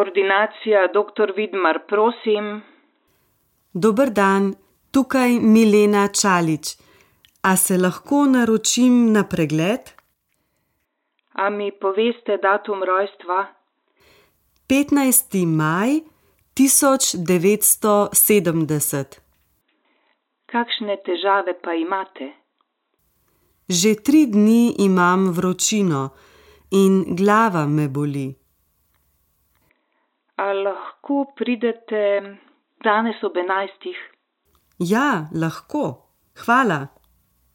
Ordinacija dr. Vidmar, prosim. Dober dan, tukaj Milena Čalič. A se lahko naročim na pregled? A mi poveste datum rojstva? 15. maj 1970. Kakšne težave pa imate? Že 3 dni imam vročino in glava me boli. A lahko pridete danes ob 11? Ja, lahko. Hvala.